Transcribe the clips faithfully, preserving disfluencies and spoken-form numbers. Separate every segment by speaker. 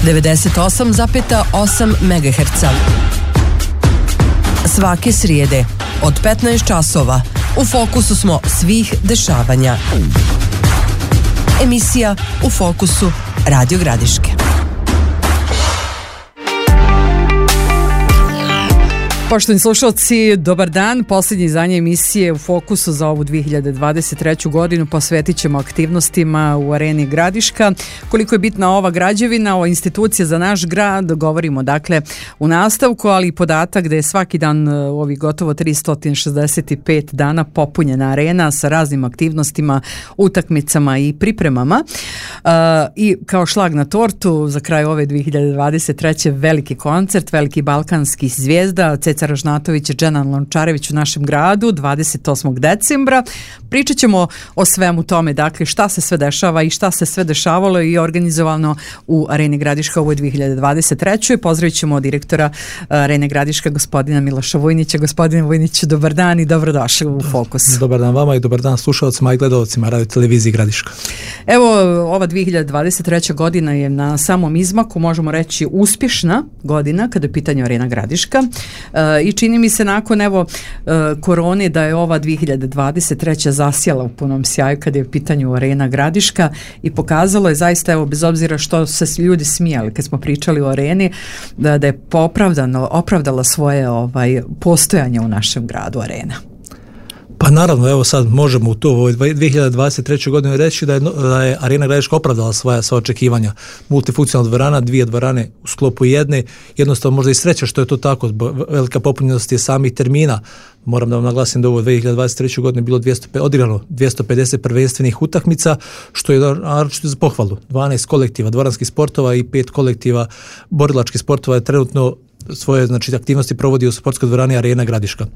Speaker 1: devedeset osam zarez osam megaherca. Svake srijede od petnaest časova u fokusu smo svih dešavanja. Emisija U fokusu Radio Gradiške.
Speaker 2: Poštovani slušalci, dobar dan. Posljednje izdanje emisije U fokusu za ovu dvije hiljade dvadeset treću godinu posvetit ćemo aktivnostima u Areni Gradiška. Koliko je bitna ova građevina, ova institucija za naš grad, govorimo dakle u nastavku, ali i podatak da je svaki dan u ovih gotovo tristo šezdeset pet dana popunjena arena sa raznim aktivnostima, utakmicama i pripremama. Uh, I kao šlag na tortu za kraj ove dvije hiljade dvadeset treće veliki koncert, veliki balkanski zvijezda, Ceca Ražnatović i Dženan Lončarević u našem gradu dvadeset osmog decembra. Pričat ćemo o svemu tome, dakle šta se sve dešava i šta se sve dešavalo i organizovano u Areni Gradiška u ovoj dvije hiljade dvadeset trećoj. Pozdravit ćemo direktora Arene Gradiška, gospodina Miloša Vujnića. Gospodine Vujniću, dobar dan i dobrodošli u Fokus.
Speaker 3: Dobar dan vama i dobar dan slušalcima i gledalcima Radio Televizije Gradiška.
Speaker 2: Evo, ova dvije hiljade dvadeset treća godina je na samom izmaku, možemo reći uspješna godina kada je pitanje Arena Gradiška. I čini mi se nakon evo korone da je ova dvije hiljade dvadeset treća zasjala u punom sjaju kada je u pitanju Arena Gradiška i pokazalo je zaista, evo, bez obzira što se ljudi smijali kad smo pričali o areni, da, da je opravdano, opravdala svoje ovaj, postojanje u našem gradu arena.
Speaker 3: Pa naravno, evo sad možemo u to u dvije hiljade dvadeset trećoj godini reći da je, da je Arena Gradiška opravdala svoja sva očekivanja. Multifunkcionalna dvorana, dvije dvorane u sklopu jedne, jednostavno možda i sreća što je to tako, velika popunjenost je samih termina. Moram da vam naglasim da ovo dvije hiljade dvadeset treće godine bilo dvjesto, odigrano dvjesto pedeset prvenstvenih utakmica, što je naročito za pohvalu. dvanaest kolektiva dvoranskih sportova i pet kolektiva borilačkih sportova je trenutno svoje znači, aktivnosti provodi u sportskoj dvorani Arena Gradiška.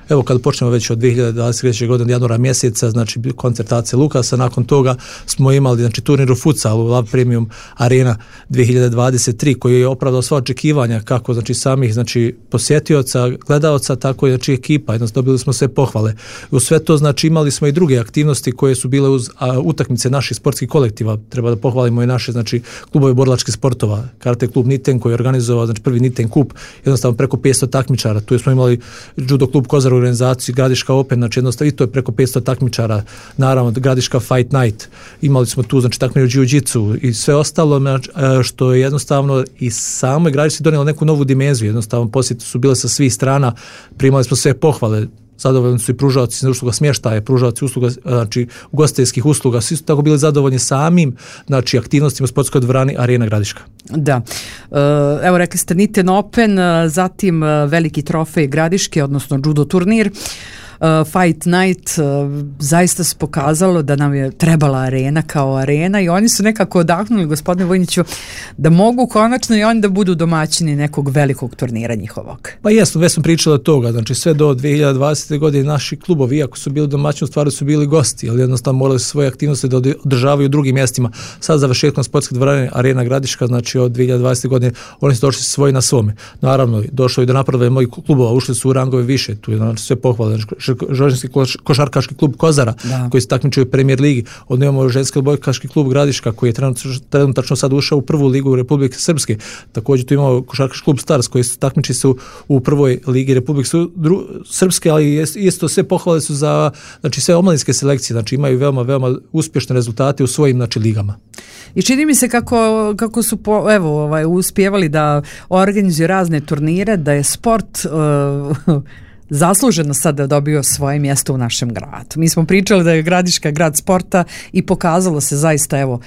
Speaker 3: Evo kad počnemo već od dvije hiljade dvadeset treće godine januara mjeseca, znači koncert A C Lukasa, nakon toga smo imali znači turnir u futsalu Love Premium Arena dvije hiljade dvadeset tri koji je opravdao sva očekivanja kako znači samih znači posjetioca, gledaoca, tako i znači ekipa, jednostavno dobili smo sve pohvale. U sve to znači imali smo i druge aktivnosti koje su bile uz a, utakmice naših sportskih kolektiva. Treba da pohvalimo i naše znači klubove borilačkih sportova, Karate klub Niten koji je organizovao znači prvi Niten kup, jednostavno preko petsto takmičara. Tu smo imali judo klub Kozar organizaciju Gradiška Open, znači jednostavno i to je preko petsto takmičara, naravno Gradiška Fight Night, imali smo tu znači takmičenje u jiu-jitsu i sve ostalo što je jednostavno i samo Gradiška donijelo neku novu dimenziju, jednostavno posjeti su bile sa svih strana, primali smo sve pohvale, zadovoljni su i pružaoci usluga smještaja, pružaoci usluga, znači ugostiteljskih usluga, svi su tako bili zadovoljni samim znači aktivnostima u sportskoj dvorani Arena Gradiška.
Speaker 2: Da. Evo rekli ste Niten Open, zatim veliki trofej Gradiške, odnosno judo turnir. Fight Night, zaista se pokazalo da nam je trebala arena kao arena i oni su nekako odahnuli, gospodine Vojniću, da mogu konačno i oni da budu domaćini nekog velikog turnira njihovog.
Speaker 3: Pa jesmo, već smo pričali od toga, znači sve do dvije hiljade dvadesete godine naši klubovi, iako su bili domaćini, u stvari su bili gosti, ali jednostavno morali su svoje aktivnosti da održavaju u drugim mjestima. Sad završetkom sportske dvorane Arena Gradiška, znači od dvije hiljade dvadesete godine, oni su došli svoji na svome. Naravno, došlo i do napravljanja mojih klubova, ušli su u rangove više, tu je znači sve pohvale. Ženski košarkaški klub Kozara, da, koji se takmičio u Premier ligi. Od imamo ženski odbojkaški klub Gradiška koji je trenutačno sad ušao u prvu ligu Republike Srpske. Također tu imamo košarkaški klub Stars koji se takmiči su u prvoj ligi Republike Srpske, ali isto sve pohvale su za znači sve omladinske selekcije, znači imaju veoma veoma uspješne rezultate u svojim znači ligama.
Speaker 2: I čini mi se kako, kako su po, evo ovaj uspjevali da organizuju razne turnire, da je sport uh, zasluženo sada dobio svoje mjesto u našem gradu. Mi smo pričali da je Gradiška grad sporta i pokazalo se zaista evo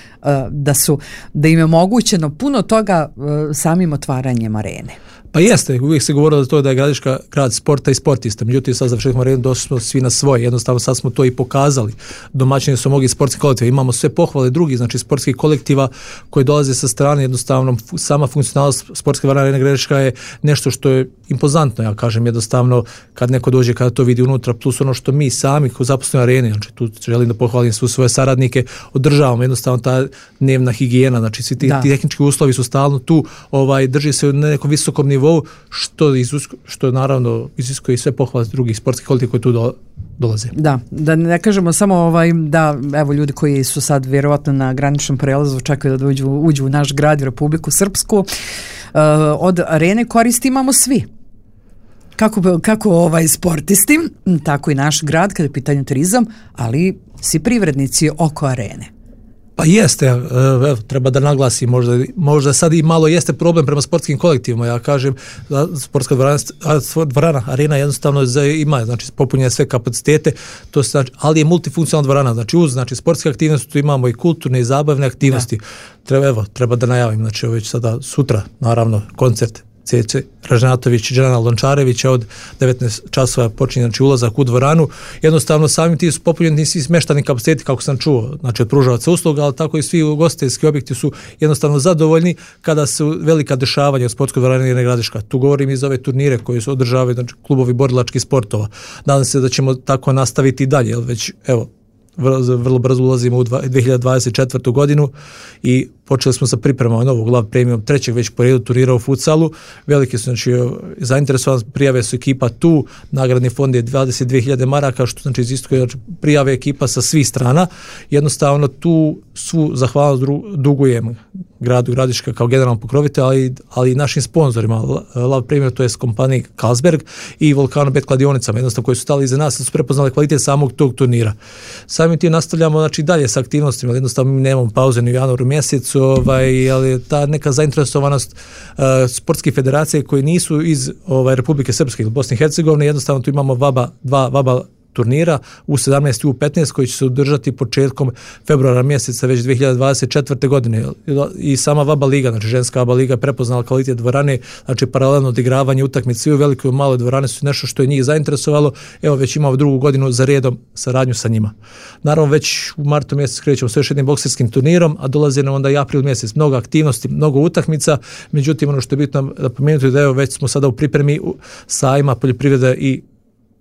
Speaker 2: da su da im je omogućeno puno toga samim otvaranjem arene.
Speaker 3: Pa jeste, uvijek se govorilo da to da je Gradiška grad sporta i sportista, međutim sad završetkom arene došli smo svi na svoje, jednostavno sad smo to i pokazali. Domaćini su mnogi sportski kolektivi, imamo sve pohvale drugih, znači sportskih kolektiva koji dolaze sa strane, jednostavno sama funkcionalnost sportske dvorane Arene Gradiška je nešto što je impozantno, ja kažem jednostavno kad neko dođe kada to vidi unutra, plus ono što mi sami kao zaposleni arene, znači tu želim da pohvalim sve svoje saradnike, održavamo jednostavno ta dnevna higijena, znači svi ti, ti tehnički uslovi su stalno tu, ovaj drži se na nekom visokom nivou nivou, što, izusko, što naravno iziskuje sve pohvale drugih sportskih kolektiva koji tu do, dolaze.
Speaker 2: Da, da ne kažemo samo ovaj, da evo ljudi koji su sad vjerovatno na graničnom prelazu čekaju da uđu, uđu u naš grad, Republiku Srpsku, uh, od arene koristi imamo svi. Kako, kako ovaj sportisti, tako i naš grad kada je pitanju turizam, ali svi privrednici oko arene.
Speaker 3: Pa jeste, evo, treba da naglasim, možda, možda sad i malo jeste problem prema sportskim kolektivima, ja kažem, sportska dvorana, dvorana arena jednostavno ima, znači popunjene sve kapacitete, to se, znači, ali je multifunkcionalna dvorana, znači uz znači, sportske aktivnosti tu imamo i kulturne i zabavne aktivnosti. Da. Treba, evo, treba da najavim, znači već sada sutra, naravno, koncert Cece Ražnatović i Džana Lončarevića od devetnaest časova počinje znači ulazak u dvoranu. Jednostavno samim ti su popunjeni svi smeštani kapaciteti kako sam čuo, znači od pružavaca usluga, ali tako i svi ugostiteljski objekti su jednostavno zadovoljni kada su velika dešavanja u sportskoj dvorani Arene Gradiška. Tu govorim iz ove turnire koji su održavaju znači klubovi borilačkih sportova. Nadam se da ćemo tako nastaviti i dalje, jer već evo vrlo brzo ulazimo u dvije hiljade dvadeset četvrtu godinu i počeli smo sa pripremama novog Lav Premium trećeg već po redu turnira u futsalu. Veliki su znači zainteresovani, prijave su ekipa tu, nagradni fond je dvadeset dvije hiljade maraka, što znači iziskuje znači, prijave ekipa sa svih strana. Jednostavno tu svu zahvalnost dugujem gradu Gradiška kao generalnom pokrovitelju, ali, ali i našim sponzorima, Lav Premium, to je kompaniji Carlsberg i Volcano Bet kladionicama, jednostavno koji su stali iza nas, su prepoznali kvalitet samog tog turnira. Samim tim nastavljamo znači dalje sa aktivnostima, jednostavno mi nemamo pauze ni u januaru mjesecu, ovaj, ali ta neka zainteresovanost uh, sportskih federacija koji nisu iz ovaj, Republike Srpske ili Bosne i Hercegovine, jednostavno tu imamo vaba, dva vaba turnira u sedamnaest i u petnaest koji će se održati početkom februara mjeseca već dvije hiljade dvadeset četvrte godine i sama Vaba liga, znači ženska Vaba liga prepoznala kvalitet dvorane, znači paralelno odigravanje utakmice u velikoj i maloj dvorane su nešto što je njih zainteresovalo, evo već imamo drugu godinu za redom saradnju sa njima. Naravno već u martu mjesec krećemo s još jednim bokserskim turnirom, a dolazi nam onda i april mjesec, mnogo aktivnosti, mnogo utakmica, međutim ono što je bitno da pomenuti da evo već smo sada u pripremi sajma poljoprivrede i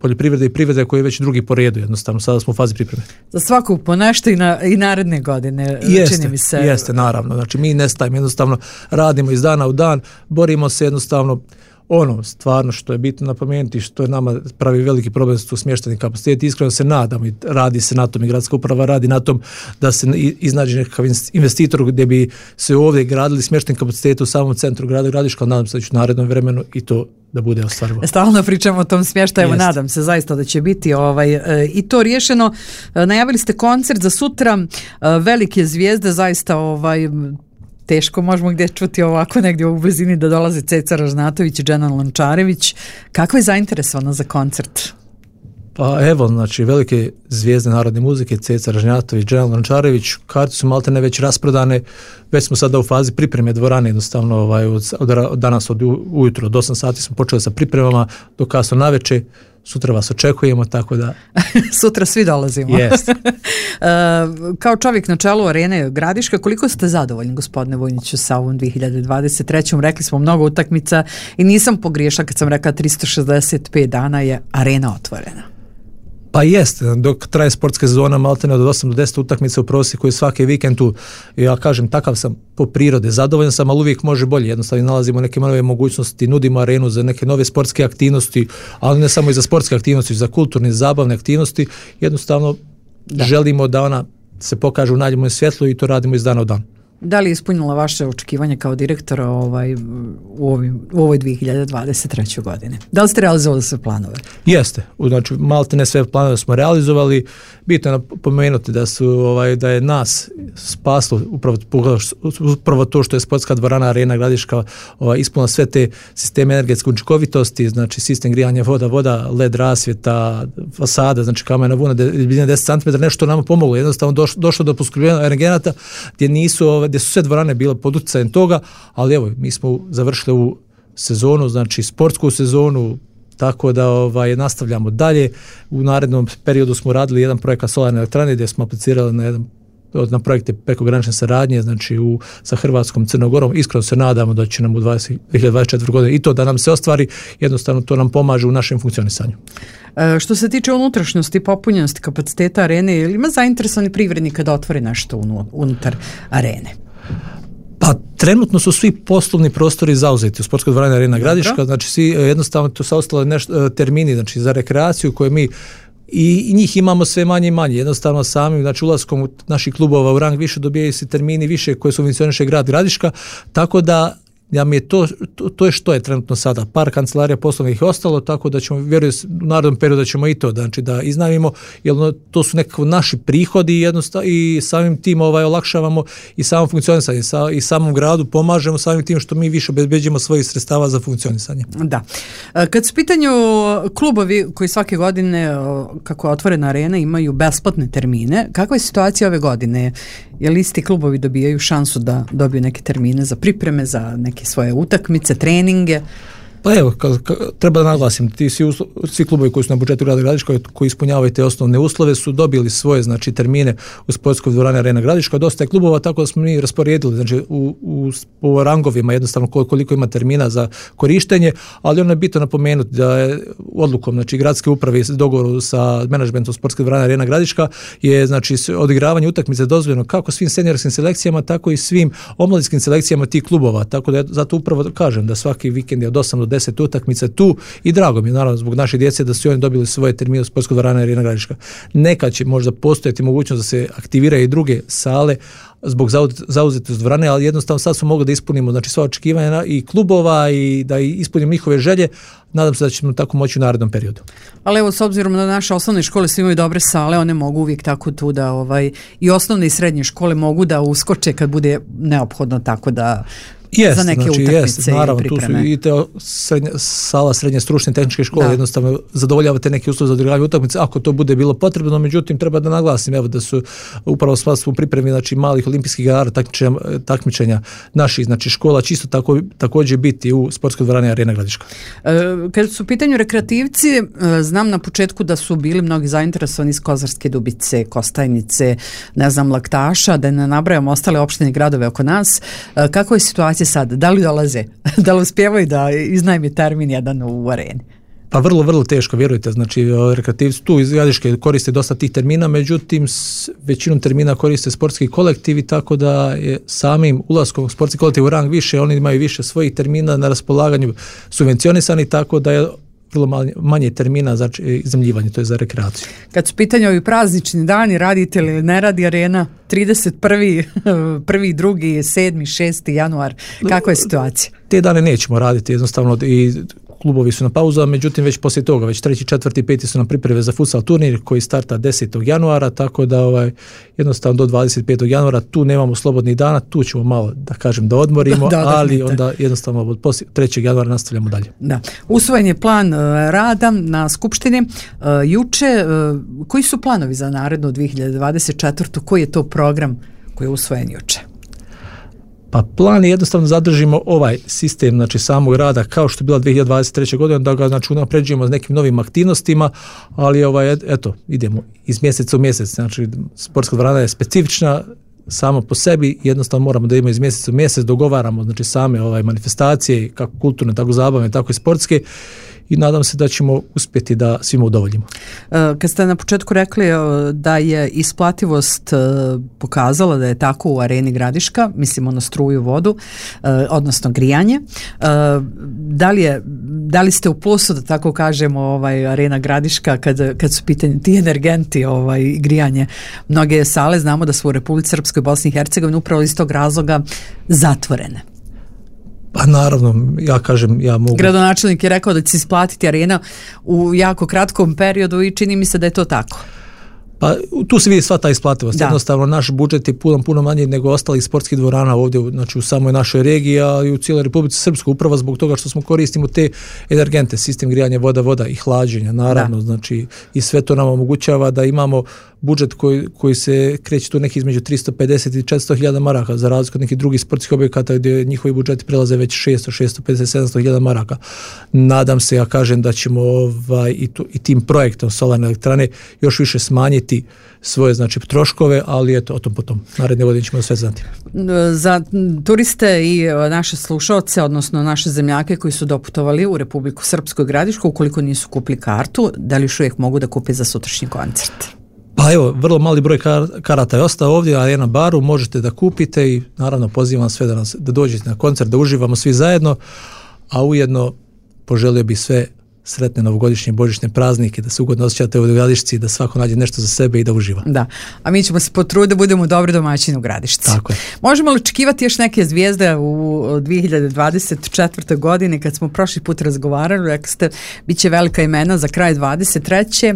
Speaker 3: poljoprivrede i privrede koji je već drugi po redu, jednostavno sada smo u fazi pripreme.
Speaker 2: Za svaku po nešto i, na, i naredne godine,
Speaker 3: jeste,
Speaker 2: čini mi se.
Speaker 3: Jeste, naravno, znači mi nestajemo, jednostavno radimo iz dana u dan, borimo se jednostavno, ono stvarno što je bitno napomenuti, što je nama pravi veliki problem su smješteni kapaciteti, iskreno se nadamo i radi se na tom i gradska uprava radi na tom da se iznađe nekakav investitor gdje bi se ovdje gradili smješteni kapaciteti u samom centru grada Gradiška, nadam se da će u narednom vremenu i to da bude ostvarivo.
Speaker 2: Stalno pričamo o tom smještaju, nadam se zaista da će biti ovaj, e, i to riješeno. E, najavili ste koncert za sutra, e, velike zvijezde, zaista ovaj teško možemo gdje čuti ovako negdje u blizini da dolaze Ceca Ražnatović i Džana Lončarević. Kako je zainteresovana za koncert?
Speaker 3: Pa evo, znači velike zvijezde narodne muzike, Ceca Ražnjatović, Džana Lončarević, karte su maltene već rasprodane, već smo sada u fazi pripreme dvorane, jednostavno ovaj, od, od, od danas od ujutro, od osam sati smo počeli sa pripremama, do kasno naveče, sutra vas očekujemo, tako da...
Speaker 2: Sutra svi dolazimo.
Speaker 3: Yes.
Speaker 2: uh, kao čovjek na čelu Arene Gradiška, koliko ste zadovoljni, gospodine Vojniću, sa ovom dvije hiljade dvadeset treće. Rekli smo mnogo utakmica i nisam pogriješila kad sam rekla tristo šezdeset pet dana je arena otvorena.
Speaker 3: Pa jeste, dok traje sportska sezona maltene od osam do deset utakmica u prosjeku i svaki vikend tu, ja kažem, takav sam po prirode, zadovoljan sam, ali uvijek može bolje, jednostavno nalazimo neke nove mogućnosti, nudimo arenu za neke nove sportske aktivnosti, ali ne samo i za sportske aktivnosti, za kulturne, zabavne aktivnosti, jednostavno da. Želimo da ona se pokaže u najboljem svjetlu i to radimo iz dana u dan.
Speaker 2: Da li je ispunila vaše očekivanje kao direktora ovaj, u, ovim, u ovoj dvije hiljade dvadeset treće. godine? Da li ste realizovali sve planove?
Speaker 3: Jeste, znači malte ne sve planove smo realizovali. Bitno je pomenuti da su ovaj da je nas spaslo upravo, upravo to što je sportska dvorana Arena Gradiška ovaj, ispunila sve te sisteme energetske učinkovitosti, znači sistem grijanja voda, voda, led rasvjeta, fasada, znači kamena vuna, debljina deset centimetara, nešto nama pomoglo. Jednostavno došlo, došlo do poskupljenja energenata gdje nisu ovaj, gdje su sve dvorane bile pod utjecajem toga, ali evo, mi smo završili u sezonu, znači sportsku sezonu, tako da ovaj, nastavljamo dalje. U narednom periodu smo radili jedan projekat solarne elektrane gdje smo aplicirali na jedan na projekte prekogranične saradnje, znači u, sa Hrvatskom, Crnogorom. Iskreno se nadamo da će nam u dvije hiljade dvadeset četvrte. godine i to da nam se ostvari, jednostavno to nam pomaže u našem funkcionisanju.
Speaker 2: E, što se tiče unutrašnjosti, popunjenosti kapaciteta arene, ili ima zainteresovani privrednika da otvori nešto unutar arene?
Speaker 3: Pa trenutno su svi poslovni prostori zauzeti u sportskoj dvorani Arena Gradiška, znači svi jednostavno tu su ostale nešto termini, znači za rekreaciju koje mi i njih imamo sve manje i manje. Jednostavno samim, znači ulaskom naših klubova u rang više dobijaju se termini više koje subvencioniše grad Gradiška, tako da ja mi je to, to, to je što je trenutno sada. Par kancelarija poslovnih je ostalo, tako da ćemo, vjerujem, u narednom periodu da ćemo i to, znači da iznajmimo, jer ono, to su nekako naši prihodi i, jednostavno, i samim tim ovaj, olakšavamo i samo funkcionisanje, sa, i samom gradu pomažemo samim tim što mi više obezbeđujemo svojih sredstava za funkcionisanje.
Speaker 2: Da. Kad su pitanju klubovi koji svake godine, kako je otvorena arena, imaju besplatne termine, kakva je situacija ove godine? Je li isti klubovi dobijaju šansu da dobiju neke termine za pripreme, za neke svoje utakmice, treninge?
Speaker 3: Pa evo, ka, ka, treba da naglasim, ti svi, uslo, svi klubovi koji su na budžetu grada Gradiška, koji ispunjavaju te osnovne uslove, su dobili svoje, znači, termine u sportskoj dvorani Arena Gradiška. Dosta je klubova, tako da smo mi rasporedili, znači, u, u, u rangovima jednostavno koliko ima termina za korištenje, ali ono je bitno napomenuti da je odlukom, znači, gradske uprave u dogovoru sa menadžmentom sportske dvorane Arena Gradiška je, znači, odigravanje utakmice dozvoljeno kako svim seniorskim selekcijama, tako i svim omladinskim selekcijama tih klubova, tako da zato upravo kažem da svaki vikend je od osam do deset utakmica tu i drago mi je naravno zbog naše djece da su oni dobili svoje termine u sportskoj dvorani Arena Gradiška. Nekad će možda postojati mogućnost da se aktiviraju i druge sale zbog zauzetosti dvorane, ali jednostavno sad smo mogli da ispunimo, znači, sva očekivanja i klubova i da ispunimo njihove želje. Nadam se da ćemo tako moći u narednom periodu.
Speaker 2: Ali evo, s obzirom da naše osnovne škole svi imaju dobre sale, one mogu uvijek tako tu da ovaj, i osnovne i srednje škole mogu da uskoče kad bude neophodno, tako da
Speaker 3: Jest,
Speaker 2: za neke
Speaker 3: znači,
Speaker 2: utakmice
Speaker 3: jest, naravno,
Speaker 2: i pripreme.
Speaker 3: Tu su i te srednje, sala srednje stručne tehničke škole,
Speaker 2: da.
Speaker 3: Jednostavno zadovoljavate neke uslove za odigravanje utakmice ako to bude bilo potrebno, međutim treba da naglasim evo da su upravo sva u pripremi, znači, malih olimpijskih igara takmičenja, takmičenja naših, znači, škola čisto tako, također biti u sportskoj dvorani Arena Gradiška.
Speaker 2: E, kad su u pitanju rekreativci, e, znam na početku da su bili mnogi zainteresovani iz Kozarske Dubice, Kostajnice, ne znam, Laktaša, da ne nabrajamo ostale opštine i gradove oko nas. E, kako je situacija sad? Da li dolaze? Da li uspijevaju da iznajmi termin jedan u areni?
Speaker 3: Pa vrlo, vrlo teško, vjerujte, znači rekreativci tu iz Gradiške koriste dosta tih termina, međutim s većinom termina koriste sportski kolektivi, tako da je samim ulaskom sportski kolektiv u rang više, oni imaju više svojih termina na raspolaganju subvencionisani, tako da je vrlo manje, manje termina za iznajmljivanje, to je za rekreaciju.
Speaker 2: Kad su pitanje ovi praznični dani, radite li ne radi arena trideset prvi, prvi, drugi, sedmi, šesti januar, kakva je situacija?
Speaker 3: Te dane nećemo raditi, jednostavno i klubovi su na pauzu, međutim već poslije toga, već treći, četvrti, peti su nam pripreme za futsal turnir koji starta desetog januara, tako da ovaj, jednostavno do dvadeset petog januara tu nemamo slobodnih dana, tu ćemo malo, da kažem, da odmorimo, da, ali onda jednostavno od poslije trećeg januara nastavljamo dalje.
Speaker 2: Da. Usvojen je plan uh, rada na skupštini uh, juče. Uh, koji su planovi za narednu dvije hiljade dvadeset četvrtu? Koji je to program koji je usvojen juče?
Speaker 3: Pa plan je jednostavno zadržimo ovaj sistem, znači, samog rada kao što je bila dvije hiljade dvadeset treće. godine, da ga, znači, unapređujemo s nekim novim aktivnostima, ali ovaj, eto, idemo iz mjeseca u mjesec, znači sportska dvorana je specifična samo po sebi, jednostavno moramo da imamo iz mjeseca u mjesec, dogovaramo, znači, same ovaj manifestacije, kako kulturne, tako zabavne, tako i sportske, i nadam se da ćemo uspjeti da svima udovoljimo.
Speaker 2: Kad ste na početku rekli da je isplativost pokazala da je tako u Areni Gradiška, mislimo na struju, vodu, odnosno grijanje, da li, je, da li ste u plusu, da tako kažemo, ovaj, Arena Gradiška kad, kad su pitanje ti energenti, ovaj, grijanje? Mnoge sale znamo da su u Republici Srpskoj, Bosni i Hercegovini upravo iz tog razloga zatvorene.
Speaker 3: Pa naravno, ja kažem, ja mogu...
Speaker 2: Gradonačelnik je rekao da će se isplatiti arena u jako kratkom periodu i čini mi se da je to tako.
Speaker 3: Pa tu se vidi sva ta isplativost. Jednostavno, naš budžet je puno, puno manji nego ostalih sportskih dvorana ovdje, znači u samoj našoj regiji, a i u cijeloj Republici Srpskoj, upravo zbog toga što smo koristimo te energente, sistem grijanja, voda, voda i hlađenja, naravno, da. Znači i sve to nam omogućava da imamo budžet koji, koji se kreće tu neki između tristo pedeset i četiristo hiljada maraka, za razliku od nekih drugih sportskih objekata gdje njihovi budžeti prelaze već šesto, šesto pedeset, sedamsto hiljada maraka. Nadam se, ja kažem, da ćemo ovaj, i, tu, i tim projektom solarne elektrane još više smanjiti svoje, znači, troškove, ali eto, o tom potom. Naredne godine ćemo sve znati.
Speaker 2: Za turiste i naše slušalce, odnosno naše zemljake koji su doputovali u Republiku Srpsku i Gradišku, ukoliko nisu kupili kartu, da li još uvijek mogu da kupe za sutrašnji koncert?
Speaker 3: Pa evo, vrlo mali broj kar- karata je ostao ovdje, a na baru možete da kupite i naravno pozivam sve da, nas, da dođete na koncert, da uživamo svi zajedno, a ujedno poželio bih sve sretne novogodišnje božićne praznike, da se ugodno osjećate u Gradišci, da svako nađe nešto za sebe i da uživa.
Speaker 2: Da, a mi ćemo se potruditi da budemo dobri domaćini u Gradišci.
Speaker 3: Tako je.
Speaker 2: Možemo li očekivati još neke zvijezde u dvije hiljade dvadeset četvrtoj godini, kad smo prošli put razgovarali, rekli ste, bit će velika imena za kraj dvadeset treće.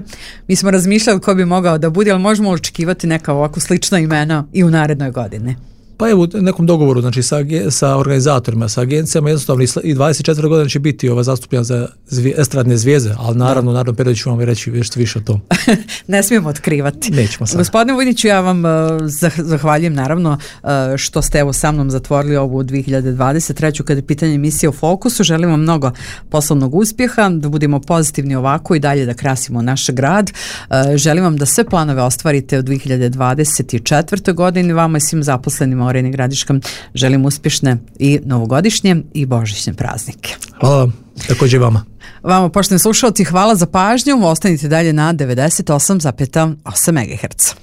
Speaker 2: Mi smo razmišljali ko bi mogao da bude, ali možemo li očekivati neka ovako slična imena i u narednoj godini?
Speaker 3: Pa evo, u nekom dogovoru, znači sa, sa organizatorima, sa agencijama, jednostavno i dvadeset četvrte godine će biti ova zastupljena za zvije, estradne zvijezde, ali naravno, u narednom periodu ću vam reći nešto više o tom.
Speaker 2: Ne smijemo otkrivati.
Speaker 3: Nećemo sad.
Speaker 2: Gospodine Vujniću, ja vam uh, zahvaljujem naravno uh, što ste evo sa mnom zatvorili ovu dvije hiljade dvadeset treću kada je pitanje emisije u fokusu. Želim vam mnogo poslovnog uspjeha, da budemo pozitivni ovako i dalje da krasimo naš grad. Uh, želim vam da sve planove ostvarite u dvije hiljade dvadeset četvrtoj godini. Vama i svim zaposlenima u Areni Gradiška želim uspješne i novogodišnje i božićne praznike.
Speaker 3: Hvala vam, također vama.
Speaker 2: Vama, poštovani slušalci, hvala za pažnju. Ostanite dalje na devedeset osam zarez osam megaherca.